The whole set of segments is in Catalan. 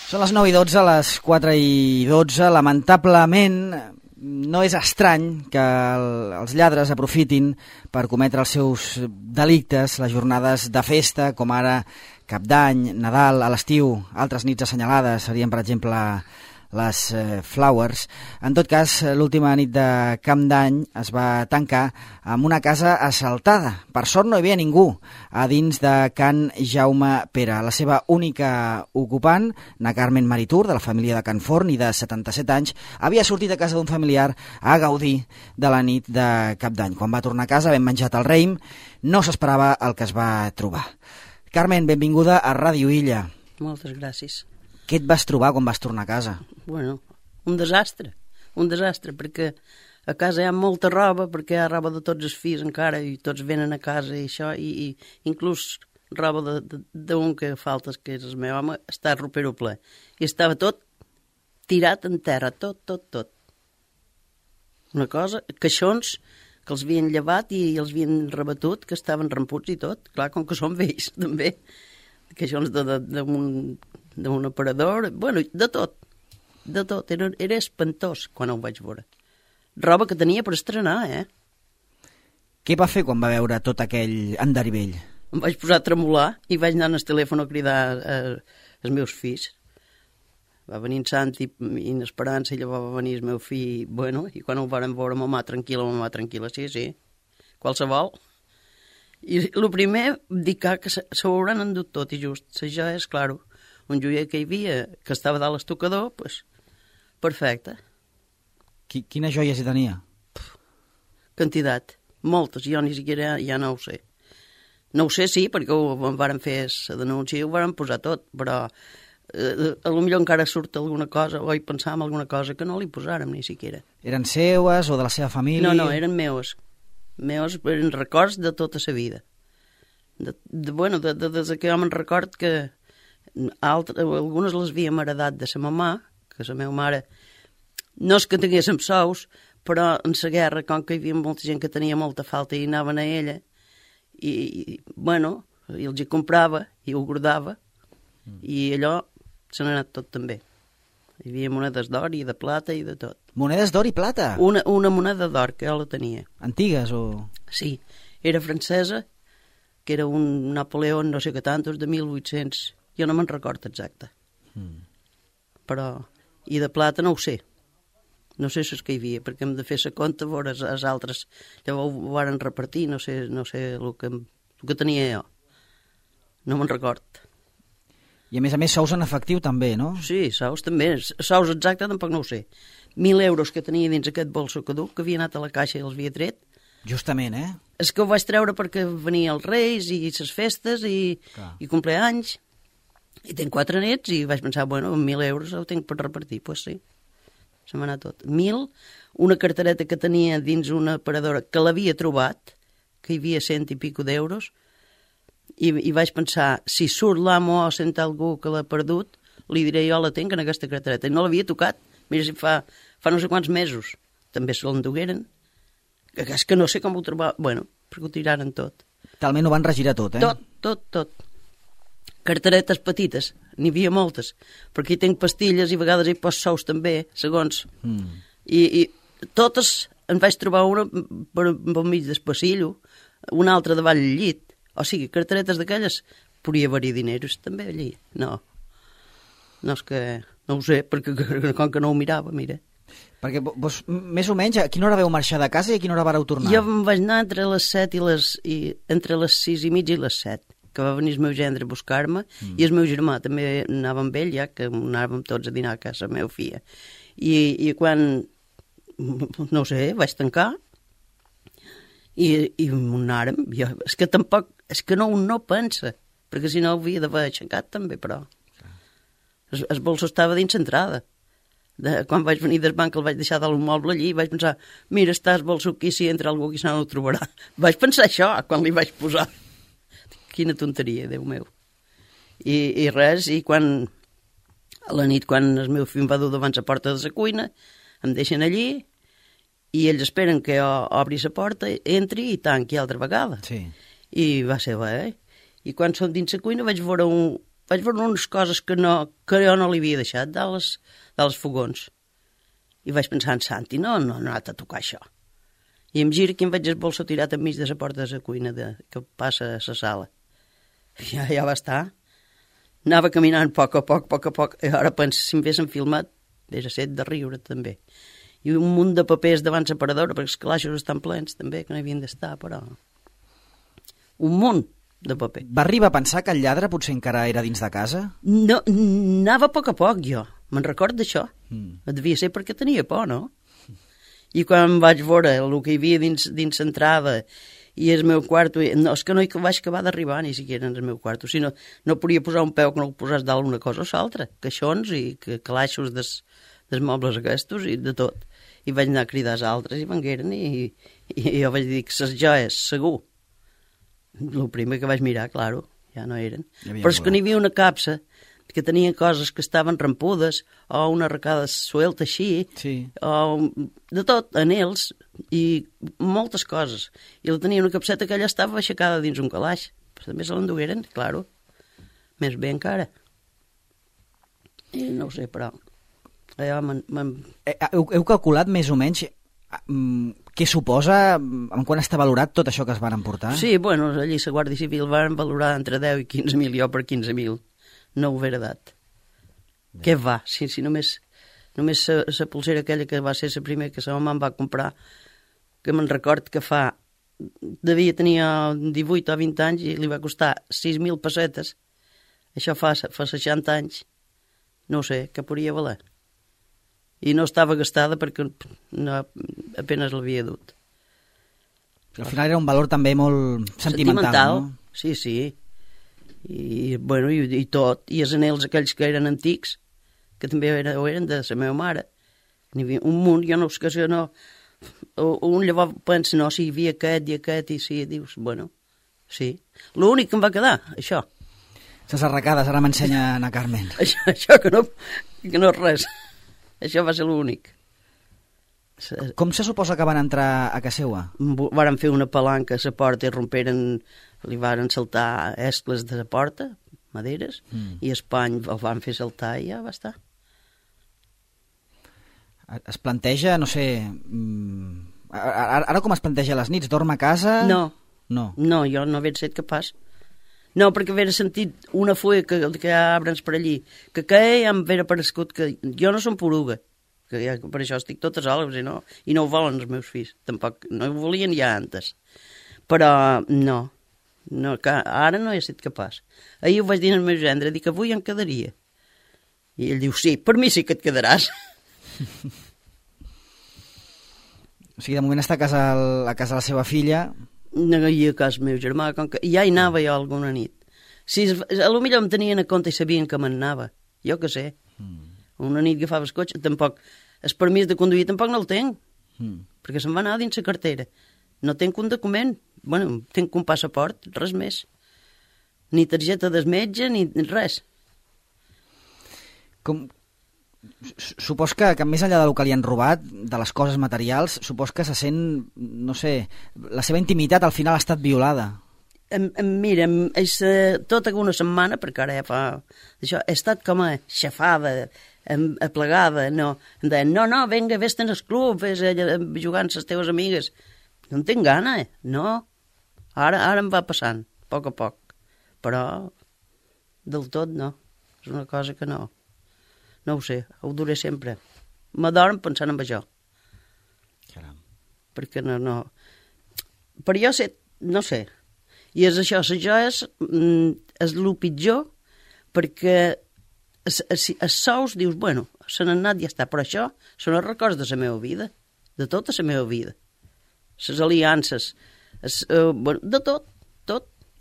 Són les 9:12, les 4:12. Lamentablement, no és estrany que els lladres aprofitin per cometre els seus delictes les jornades de festa, com ara Cap d'Any, Nadal, a l'estiu, altres nits assenyalades, serien, per exemple, les Flowers. En tot cas, l'última nit de Cap d'Any es va tancar amb una casa assaltada. Per sort no hi havia ningú a dins de Can Jaume Pere. La seva única ocupant, na Carmen Maritur, de la família de Can Forn i de 77 anys, havia sortit a casa d'un familiar a gaudir de la nit de Cap d'Any. Quan va tornar a casa, ben menjat el raïm, no s'esperava el que es va trobar. Carmen, benvinguda a Ràdio Illa. Moltes gràcies. Què et vas trobar quan vas tornar a casa? Bueno, un desastre, perquè a casa hi ha molta roba, perquè hi ha roba de tots els fills encara, i tots venen a casa i això, i inclús roba d'un que falta, que és el meu home, està a ropero ple. I estava tot tirat en terra, tot. Una cosa, caixons que els havien llevat i els havien rebatut, que estaven ramputs i tot, clar, com que són vells, també. Caixons d'un aparador, bueno, de tot, era espantós quan ho vaig veure. Roba que tenia per estrenar, Què va fer quan va veure tot aquell endarivell? Em vaig posar a tremolar i vaig anar al telèfon a cridar els meus fills. Va venir en Santi i en Esperança, i llavors va venir el meu fill, bueno, i quan ho varen veure, mamà tranquil·la, sí, qualsevol. I el primer, dic que s'ho hauran endut tot, i just, ja és, clar, un joier que hi havia, que estava dalt l'estocador, doncs, perfecte. Quines joies hi tenia? Quantitat, moltes, jo ni siquiera ja no ho sé. No ho sé, sí, perquè ho varen fer la denúncia i ho varen posar tot, però potser encara surt alguna cosa, o hi pensàvem alguna cosa que no li posàrem ni siquiera. Eren seues o de la seva família? No, eren meus. Meus eren records de tota la vida. Bueno, des que jo me'n record que algunes les havíem heredat de sa mamà, que la meva mare no és que tinguéssim sous, però en la guerra, com que hi havia molta gent que tenia molta falta i anaven a ella, i bueno, i els hi comprava i ho guardava, i allò se n'ha anat tot també. Hi havia monedes d'or i de plata i de tot. Monedes d'or i plata? Una moneda d'or, que jo la tenia. Antigues o...? Sí, era francesa, que era un Napoleó, no sé què tantos, de 1800... Jo no me'n record exacte. Però... I de plata no ho sé. No sé si és que hi havia, perquè hem de fer la compte, veure els altres. Llavors ho varen repartir, no sé el que tenia jo. No me'n record. I a més, sous en efectiu també, no? Sí, sous també. Sous exacte tampoc no ho sé. 1.000 euros que tenia dins aquest bolso caduc, que havia anat a la caixa i els havia tret. Justament, És que ho vaig treure perquè venia els Reis i les festes i compleanys. I tinc 4 nets i vaig pensar, bueno, 1.000 euros ho tinc per repartir. Doncs pues sí, se m'ha anat tot. 1.000, una cartereta que tenia dins una aparadora que l'havia trobat, que hi havia 100 i pico d'euros, i vaig pensar, si surt l'amo o sent algú que l'ha perdut, li diré jo la tinc en aquesta cartereta. I no l'havia tocat. Mira si fa no sé quants mesos. També se l'endugueren. És que no sé com ho trobava. Bueno, perquè ho tiraren tot. Talment ho van regirar tot, Tot. Carteretes petites, n'hi havia moltes, perquè hi tinc pastilles i a vegades hi poso sous també, segons. I totes, en vaig trobar una per mig del passillo, una altra davall del llit. O sigui, carteretes d'aquelles, podria haver-hi diners també allí. No és que... No ho sé, perquè com que no ho mirava, mira. Perquè vos, més o menys, a quina hora vau marxar de casa i a quina hora vareu tornar? Jo em vaig anar entre les 7 entre les 6 i mitja i les 7, que va venir el meu gendre a buscar-me, i el meu germà també anava amb ell, ja que anàvem tots a dinar a casa la meva filla. I quan, no sé, vaig tancar, i anàrem. És que tampoc, és que no pensa, perquè si no ho havia d'haver aixecat també, però... El bolso estava dins l'entrada. Quan vaig venir del banc el vaig deixar de l'immoble allí i vaig pensar, mira, està el bolso aquí, si entra algú aquí no ho trobarà. Vaig pensar això quan li vaig posar. Quina tonteria, Déu meu. I res, i quan a la nit, quan el meu fill em va dur davant la porta de la cuina, em deixen allí i ells esperen que jo obri la porta, entri i tanqui altra vegada. Sí. I va ser bé, I quan som dins la cuina vaig veure vaig veure unes coses que jo no li havia deixat dels fogons. I vaig pensar en Santi, no ha anat a tocar això. I em gira que em veig el bolso tirat enmig de la porta de la cuina que passa a la sala. Ja va estar. Anava caminant a poc, i ara penso, si m'haguessin filmat, hauria set de riure també. I un munt de papers davant l'aparadora, perquè els calaixos estan plens també, que no havien d'estar, però... Un munt de paper. Va arribar a pensar que el lladre potser encara era dins de casa? No, anava a poc jo, me'n record d'això. Devia ser perquè tenia por, no? I quan vaig veure el que hi havia dins l'entrada i el meu quarto, no, és que no hi vaig acabar d'arribar ni siquiera en el meu quarto, sinó no podia posar un peu que no el posàs dalt una cosa o l'altra, caixons i calaixos dels mobles aquests i de tot. I vaig anar a cridar als altres i vengueren i jo vaig dir que les joies, segur. El primer que vaig mirar, claro, ja no eren. Però és que n'hi havia una capsa que tenia coses que estaven rampudes o una arracada suelta així, o de tot, anells i moltes coses. I la tenia una capseta que allà estava aixecada dins un calaix. Però també se l'endugueren, claro. Més bé encara. I no ho sé, però... Heu calculat més o menys què suposa, en quan està valorat tot això que es van emportar? Sí, bueno, allí la Guàrdia Civil van valorar entre 10 i 15.000, jo per 15.000. No ho haver dat. Què va? Si només la pulsera aquella que va ser la primera que la mamà em va comprar, que me'n record que tenia 18 o 20 anys i li va costar 6.000 pessetes. Això fa 60 anys. No ho sé, què podria valer. I no estava gastada perquè apenas l'havia dut. Al final era un valor també molt sentimental, no? Sí. I, bueno, i tot. I els anells aquells que eren antics, que també eren de la meva mare. N'hi havia un munt, jo no sé que no... Un llavors pensa, no, si hi havia aquest, i sí, dius, bueno, sí. L'únic que em va quedar, això. Les arracades, ara m'ensenya Ana Carmen. Això que no és res. Això va ser l'únic. Com se suposa que van entrar a casa seva? Varen fer una palanca a la porta i li varen saltar escles de la porta, maderes, i Espany el van fer saltar i ja va estar. Es planteja, no sé... Ara com es planteja les nits? Dorm a casa? No, jo no havia set capaç. No, perquè havia sentit una fulla que hi ha arbres per allí, que ja em havia aparegut que jo no som poruga, que ja, per això estic totes soles i no ho volen els meus fills, tampoc, no ho volien ja antes. Però no, ara no he estat capaç. Ahir ho vaig dir al meu gendre, dic que avui em quedaria. I ell diu, sí, per mi sí que et quedaràs. O sigui, de moment està a casa de la seva filla... No hi a casa meu germà, com que ja hi anava jo alguna nit. Si potser em tenien a compte i sabien que me'n anava, jo que sé. Una nit agafava el cotxe, tampoc, el permís de conduir tampoc no el tenc, perquè se'n va anar dins la cartera. No tenc un document, bueno, tenc un passaport, res més. Ni targeta del metge, ni res. Supos que més enllà del que li han robat, de les coses materials, supos que se sent, no sé, la seva intimitat al final ha estat violada. Mira, tota una setmana, perquè ara ja fa... Això, he estat com a xafada, aplegada, no. Em deien, no, vinga, vés-te'n al club, vés jugant amb les teves amigues. No en tinc gana, no. Ara em va passant, a poc. Però del tot no. És una cosa que no. No ho sé, ho duré sempre. M'adorm pensant en això. Caram. Perquè no... Per jo sé, no sé. I és això, les joies és el pitjor, perquè els sous dius, bueno, se n'han anat i ja està, però això són els records de la meva vida, de tota la meva vida. Les aliances, bueno, de tot.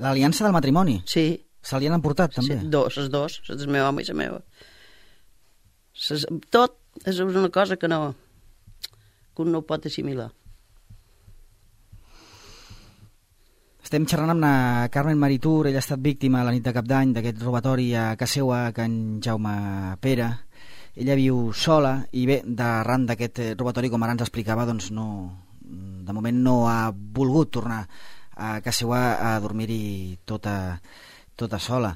L'aliança del matrimoni? Sí. Se li han emportat, també? Sí, les dos, del meu home i la meva. Tot és una cosa que un no ho pot assimilar. Estem xerrant amb la Carmen Maritur, ella ha estat víctima la nit de Cap d'Any d'aquest robatori a casa seva a Can Jaume Pere. Ella viu sola i bé, d'arran d'aquest robatori, com ara ens explicava, doncs de moment no ha volgut tornar a casa seva a dormir-hi tota Tota sola.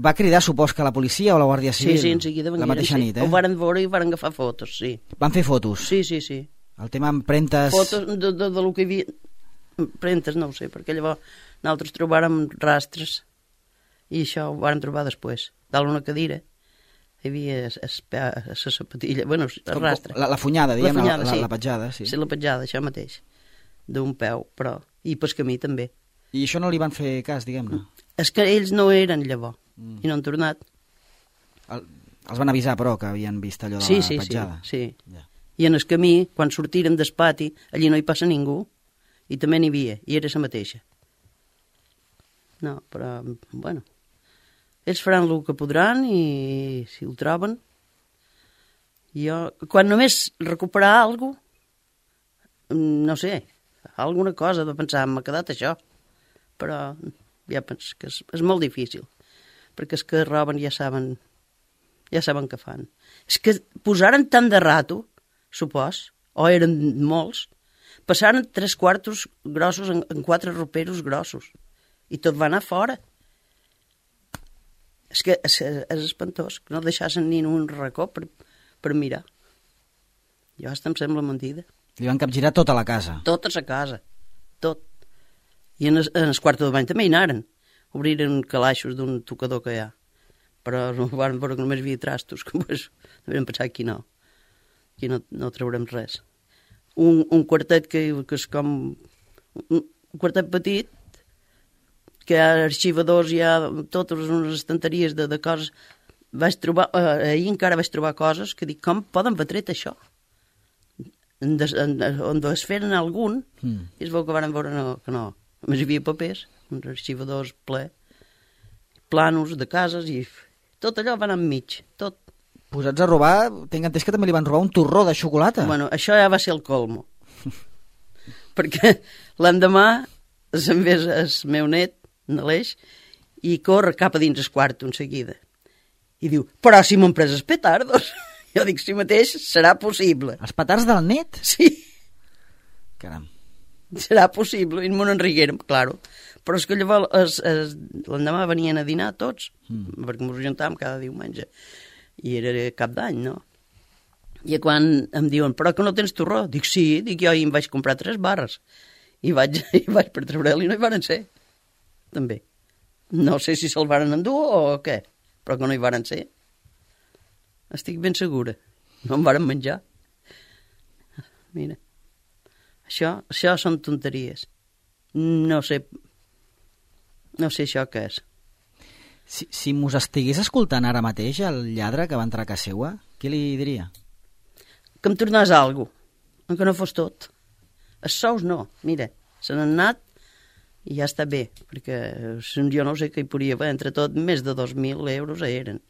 Va cridar, supos que la policia o la Guàrdia Civil? Sí, en seguida la mateixa nit, Ho varen veure i varen agafar fotos, sí. Van fer fotos? Sí. El tema empremtes... Fotos de lo que hi havia... Empremtes, no ho sé, perquè llavors nosaltres trobàrem rastres i això ho varen trobar després. Dalt una cadira hi havia la sapatilla, bueno, el rastre. La funyada, diguem, sí. La petjada, sí. Sí, la petjada, això mateix, d'un peu, però... I pel camí també. I això no li van fer cas, diguem-ne? És que ells no eren llavors, i no han tornat. Els van avisar, però, que havien vist allò de la petjada? Sí. Ja. I en el camí, quan sortirem del pati, allí no hi passa ningú, i també n'hi havia, i era la mateixa. No, però, bueno, ells faran el que podran, i si ho troben... Jo, quan només recuperar alguna cosa, no sé, alguna cosa de pensar, m'ha quedat això, però ja penso que és molt difícil, perquè els que roben ja saben què fan. És que posaren tant de rato, supos, o eren molts, passaren 3 quartos grossos en 4 roperos grossos, i tot va anar fora. És que és espantós, que no deixassen ni un racó per mirar. Jo hasta em sembla mentida. Li van capgirar tota la casa? Tota la casa, tot. I en el quarto de bany també hi anaren. Obriren calaixos d'un tocador que hi ha. Però no van veure que només hi havia trastos, que pues, devien pensar aquí no traurem res. Un quartet que és com... Un quartet petit, que hi ha arxivadors, hi ha totes unes estanteries de coses. Vaig trobar, ahir encara vaig trobar coses que dic, com poden haver tret això? On desferen algun, i es veu que van veure que no. Només hi havia papers, uns arxivadors ple, planos de cases, i tot allò va anar enmig, tot. Posats a robar, tinc entès que també li van robar un torró de xocolata. Bueno, això ja va ser el colmo. Perquè l'endemà se'n ve el meu net, Aleix, i corre cap a dins el quarto en seguida. I diu, però si m'han pres els petardos. Jo dic, si mateix serà possible. Els petards del net? Sí. Caram. Serà possible, i m'ho enriguérem, claro. Però és que llavors l'endemà venien a dinar tots, perquè ens juntàvem cada diumenge, i era cap d'any, no? I quan em diuen, però que no tens torró? Dic, sí, jo ahir em vaig comprar 3 barres, i vaig per treure-li, no hi varen ser, també. No sé si se'l varen endur o què, però que no hi varen ser. Estic ben segura, no em varen menjar. Mira. Això són tonteries. No sé això què és. Si mos estigués escoltant ara mateix el lladre que va entrar a casa seva, què li diria? Que em tornés alguna cosa, que no fos tot. Els sous no, mira, se n'han anat i ja està bé, perquè jo no sé què hi podria haver, entre tot més de 2.000 euros eren,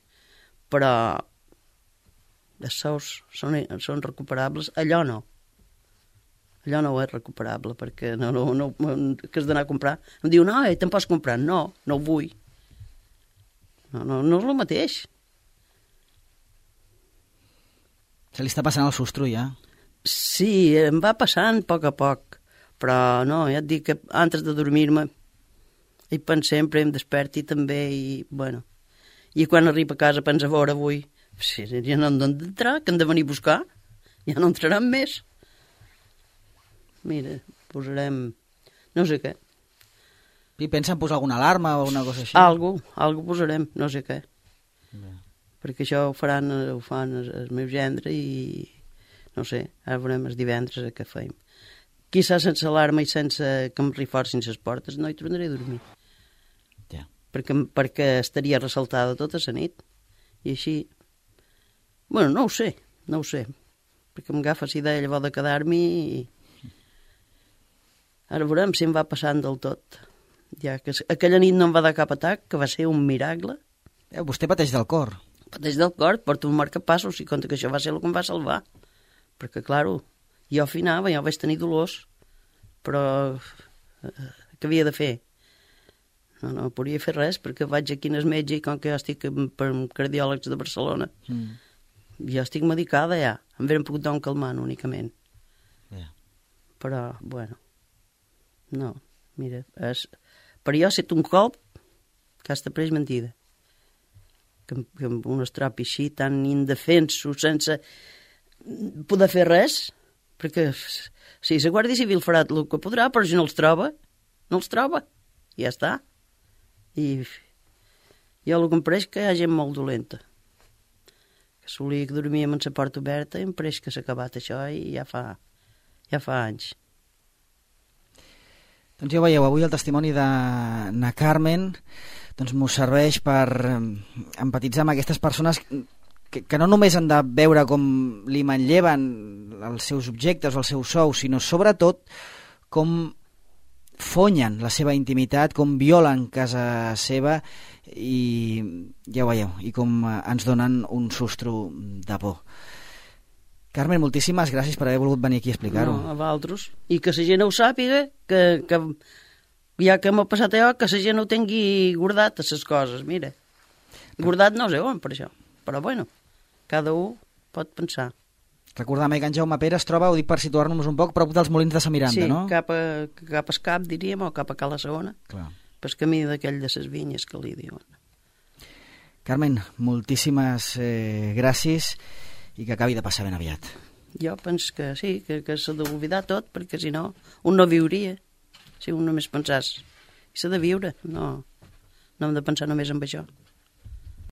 però els sous són recuperables, allò no és recuperable, perquè que has d'anar a comprar. Em diu, no, te'n pots comprar. No ho vull. No és el mateix. Se li està passant el sostre, ja? Sí, em va passant a poc, però no, ja et dic que antes de dormir-me hi penso sempre, em desperti també, i quan arribo a casa penso a veure avui, ja no han d'entrar, que han de venir a buscar, ja no entraran més. Mira, posarem... no sé què. I pensa en posar alguna alarma o alguna cosa així? Algo posarem, no sé què. Perquè això ho fan el meu gendre i... no sé, ara veurem els divendres què feim. Quizà sense alarma i sense que em reforcin les portes no hi tornaré a dormir. Ja. Perquè estaria ressaltada tota la nit. I així... bueno, no ho sé. Perquè m'agafa la idea llavors de quedar-m'hi i... ara veurem si em va passant del tot. Ja que aquella nit no em va dar cap atac, que va ser un miracle. Vostè pateix del cor. Pateix del cor, porto un marcapassos i compte que això va ser el que em va salvar. Perquè, claro, jo afinava, jo vaig tenir dolors, però què havia de fer? No podia fer res, perquè vaig aquí al metge i com que jo estic per cardiòlegs de Barcelona, jo estic medicada ja, em veren pogut dar un calmant únicament. Però, bueno, no, mira, per jo ha estat un cop Aquesta presa mentida. Que amb un es trobi així, tan indefensos, sense poder fer res, perquè si la Guàrdia Civil farà el que podrà, però si no els troba, i ja està. I jo el que em pareix que hi ha gent molt dolenta. Que solia que dormíem amb la porta oberta i em pareix que s'ha acabat això i ja fa anys. Doncs ja ho veieu, avui el testimoni de na Carmen doncs m'ho serveix per empatitzar amb aquestes persones que no només han de veure com li manlleven els seus objectes o el seu sou, sinó sobretot com fonyen la seva intimitat, com violen casa seva i ja ho veieu, i com ens donen un sustro de por. Carmen, moltíssimes gràcies per haver volgut venir aquí a explicar-ho. No, a vosaltres. I que la gent ho sàpiga, que ja que m'ha passat allò, que la gent ho tingui guardat, les coses, mira. Guardat no sé on, per això. Però bueno, cada un pot pensar. Recordem que en Jaume Pere es troba, ho dic per situar-nos un poc, prop dels Molins de sa Miranda, sí, no? Sí, cap a Cap, diríem, o cap a Cala Segona. Clar. Pel camí d'aquell de les vinyes que li diuen. Carmen, moltíssimes gràcies i que acabi de passar ben aviat. Jo penso que sí, que s'ha d'oblidar tot, perquè si no, un no viuria. Si un només pensàs, i s'ha de viure, no hem de pensar només en això.